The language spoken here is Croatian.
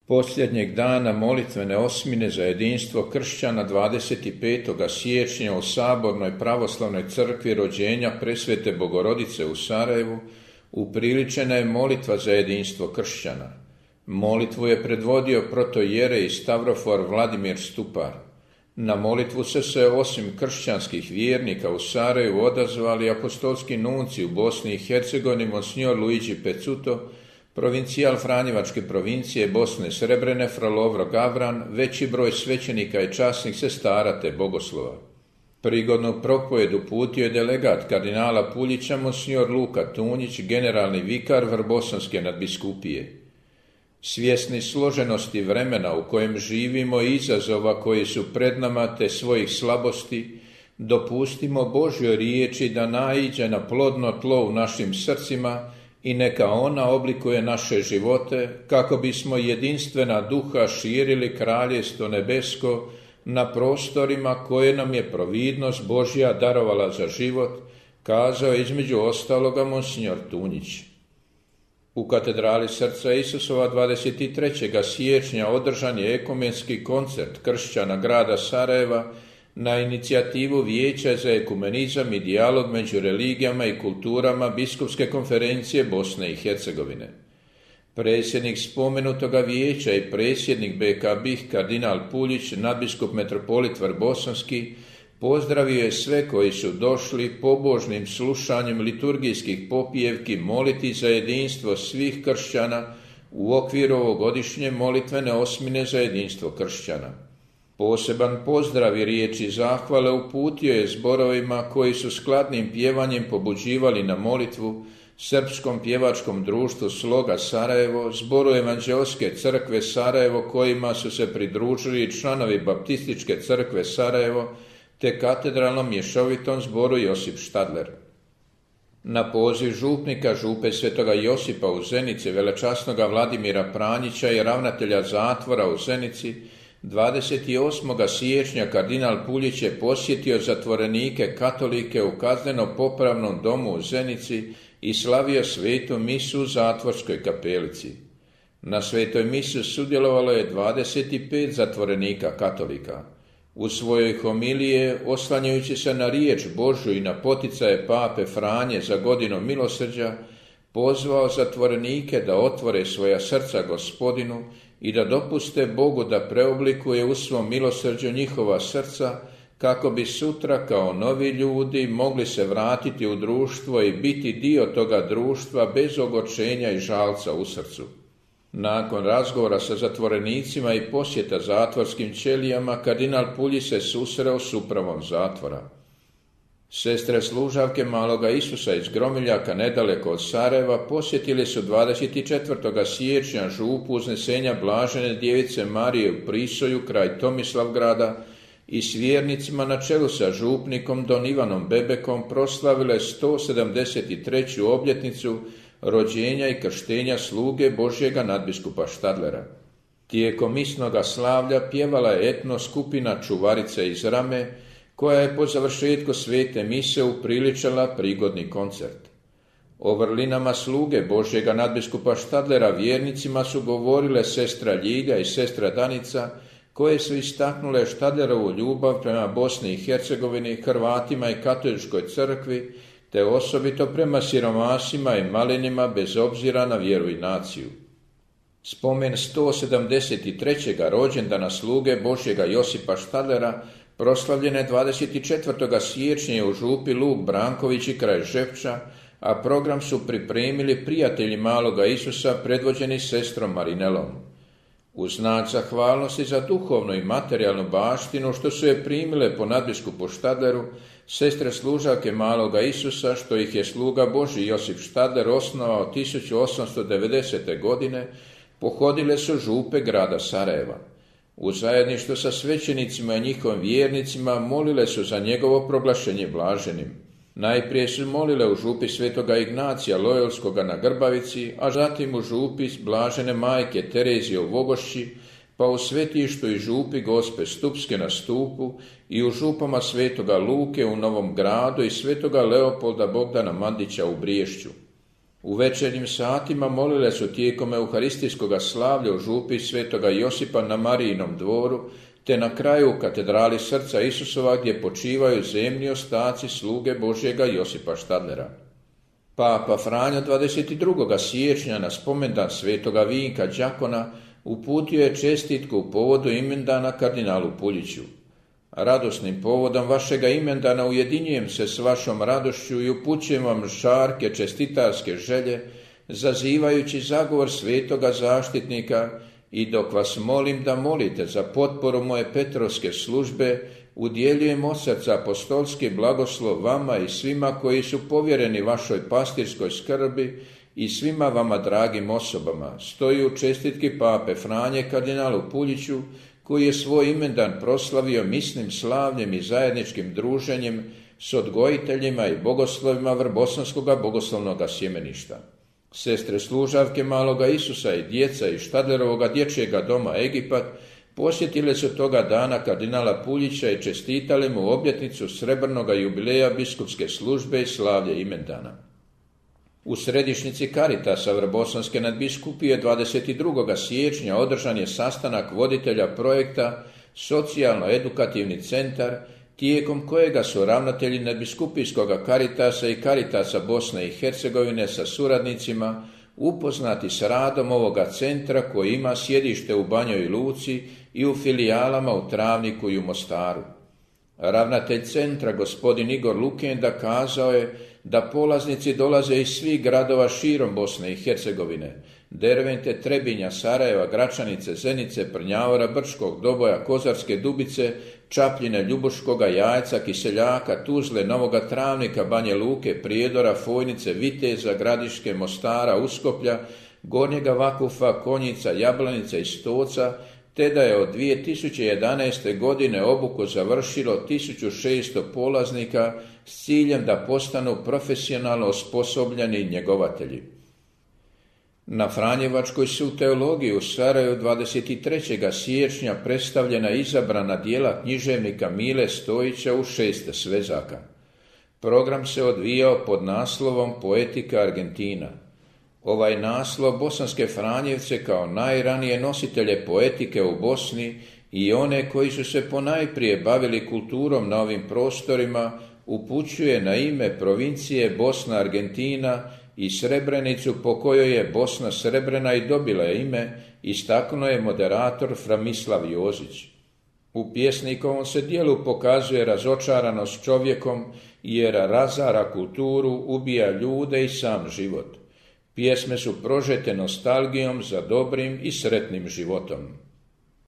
Posljednjeg dana molitvene osmine za jedinstvo kršćana 25. siječnja u Sabornoj pravoslavnoj crkvi rođenja Presvete Bogorodice u Sarajevu upriličena je molitva za jedinstvo kršćana. Molitvu je predvodio protoijerej Stavrofor Vladimir Stupar. Na molitvu se osim kršćanskih vjernika u Sarajevu odazvali apostolski nunci u Bosni i Hercegovini Monsignor Luigi Pezzuto, provincijal Franjevačke provincije Bosne Srebrene fra Lovro Gavran, veći broj svećenika i časnih sestara te bogoslova. Prigodnu propovedu uputio je delegat kardinala Puljića Monsignor Luka Tunjić, generalni vikar Vrbosanske nadbiskupije. Svjesni složenosti vremena u kojem živimo i izazova koji su pred nama te svojih slabosti, dopustimo Božjoj riječi da naiđe na plodno tlo u našim srcima i neka ona oblikuje naše živote, kako bismo jedinstvena duha širili kraljestvo nebesko na prostorima koje nam je providnost Božja darovala za život, kazao je između ostaloga Monsignor Tunjić. U katedrali Srca Isusova 23. siječnja održan je ekumenski koncert kršćana grada Sarajeva na inicijativu Vijeća za ekumenizam i dijalog među religijama i kulturama Biskupske konferencije Bosne i Hercegovine. Predsjednik spomenutoga vijeća i predsjednik BK BiH kardinal Puljić, nadbiskup metropolit Vrbosanski, pozdravio je sve koji su došli pobožnim slušanjem liturgijskih popijevki moliti za jedinstvo svih kršćana u okviru ovogodišnje molitvene osmine za jedinstvo kršćana. Poseban pozdrav i riječi zahvale uputio je zborovima koji su skladnim pjevanjem pobuđivali na molitvu Srpskom pjevačkom društvu Sloga Sarajevo, zboru Evanđeoske crkve Sarajevo kojima su se pridružili članovi Baptističke crkve Sarajevo te katedralnom mješovitom zboru Josip Štadler. Na poziv župnika župe Svetoga Josipa u Zenici, velečasnoga Vladimira Pranjića i ravnatelja zatvora u Zenici, 28. siječnja kardinal Puljić je posjetio zatvorenike katolike u kazneno-popravnom domu u Zenici i slavio svetu misu u zatvorskoj kapelici. Na svetoj misi sudjelovalo je 25 zatvorenika katolika. U svojoj homilije, oslanjajući se na riječ Božju i na poticaje pape Franje za godinu milosrđa, pozvao zatvorenike da otvore svoja srca Gospodinu i da dopuste Bogu da preoblikuje u svom milosrđu njihova srca, kako bi sutra kao novi ljudi mogli se vratiti u društvo i biti dio toga društva bez ogorčenja i žalca u srcu. Nakon razgovora sa zatvorenicima i posjeta zatvorskim ćelijama, kardinal Puljić se susreo s upravom zatvora. Sestre služavke Maloga Isusa iz Gromiljaka, nedaleko od Sarajeva, posjetili su 24. siječnja župu Uznesenja Blažene Djevice Marije u Prisoju kraj Tomislavgrada i s vjernicima na čelu sa župnikom Don Ivanom Bebekom proslavile 173. obljetnicu rođenja i krštenja sluge Božjega nadbiskupa Štadlera. Tijekom misnoga slavlja pjevala je etno skupina Čuvarice iz Rame, koja je po završetku svete mise upriličila prigodni koncert. O vrlinama sluge Božjega nadbiskupa Štadlera vjernicima su govorile sestra Ljilja i sestra Danica, koje su istaknule Štadlerovu ljubav prema Bosni i Hercegovini, Hrvatima i katoličkoj crkvi, te osobito prema siromasima i malinima bez obzira na vjeru i naciju. Spomen 173. rođendana sluge Božjega Josipa Štadlera proslavljen je 24. siječnja u župi Luk Branković i kraj Žepča, a program su pripremili prijatelji Maloga Isusa predvođeni sestrom Marinelom. U znak zahvalnosti za duhovnu i materijalnu baštinu što su je primile po nadbiskupu Štadleru, sestre služavke Maloga Isusa, što ih je sluga Božji Josip Štadler osnovao 1890. godine, pohodile su župe grada Sarajeva. U zajedništvu sa svećenicima i njihovim vjernicima molile su za njegovo proglašenje blaženim. Najprije su molile u župi Svetoga Ignacija Lojolskoga na Grbavici, a zatim u župi Blažene majke Terezije u Vogošći, pa u svetištu i župi Gospe Stupske na Stupu i u župama Svetoga Luke u Novom Gradu i Svetoga Leopolda Bogdana Mandića u Briješću. U večernjim satima molile su tijekom euharistijskog slavlja u župi svetoga Josipa na Marijinom dvoru, te na kraju u katedrali Srca Isusova gdje počivaju zemni ostaci sluge Božjega Josipa Štadlera. Papa Franjo 22. siječnja na spomendan svetoga Vinka Đakona uputio je čestitku u povodu imendana kardinalu Puljiću. Radosnim povodom vašega imendana ujedinjujem se s vašom radošću i upućujem vam žarke čestitarske želje, zazivajući zagovor svetoga zaštitnika, i dok vas molim da molite za potporu moje Petrovske službe, udjeljujem od srca apostolski blagoslov vama i svima koji su povjereni vašoj pastirskoj skrbi i svima vama dragim osobama. Stoji u čestitki pape Franje kardinalu Puljiću, koji je svoj imendan proslavio misnim slavljem i zajedničkim druženjem s odgojiteljima i bogoslovima Vrbosanskoga bogoslovnoga sjemeništa. Sestre služavke maloga Isusa i djeca iz Štadlerovoga dječjega doma Egipat posjetile su toga dana kardinala Puljića i čestitale mu obljetnicu srebrnoga jubileja biskupske službe i slavlje imendana. U središnjici Caritasa Vrbosanske nadbiskupije 22. siječnja održan je sastanak voditelja projekta Socijalno-edukativni centar, tijekom kojega su ravnatelji nadbiskupijskog Caritasa i Caritasa Bosne i Hercegovine sa suradnicima upoznati s radom ovoga centra koji ima sjedište u Banjoj Luci i u filijalama u Travniku i u Mostaru. Ravnatelj centra, gospodin Igor Lukenda, kazao je da polaznici dolaze iz svih gradova širom Bosne i Hercegovine: Dervente, Trebinja, Sarajeva, Gračanice, Zenice, Prnjavora, Brčkog, Doboja, Kozarske Dubice, Čapljine, Ljubuškoga, Jajca, Kiseljaka, Tuzle, Novoga Travnika, Banje Luke, Prijedora, Fojnice, Viteza, Gradiške, Mostara, Uskoplja, Gornjega Vakufa, Konjica, Jablanice i Stoca, te da je od 2011. godine obuku završilo 1600 polaznika s ciljem da postanu profesionalno osposobljeni njegovatelji. Na Franjevačkoj su u teologiji u Sarajevu 23. siječnja predstavljena izabrana djela književnika Mile Stojića u 6 svezaka. Program se odvijao pod naslovom Poetika Argentina. Ovaj naslov bosanske Franjevce kao najranije nositelje poetike u Bosni i one koji su se ponajprije bavili kulturom na ovim prostorima upućuje na ime provincije Bosna Argentina i Srebrenicu po kojoj je Bosna Srebrena i dobila ime, istaknuo je moderator Framislav Jozić. U pjesnikovom se dijelu pokazuje razočaranost čovjekom jer razara kulturu, ubija ljude i sam život. Pjesme su prožete nostalgijom za dobrim i sretnim životom.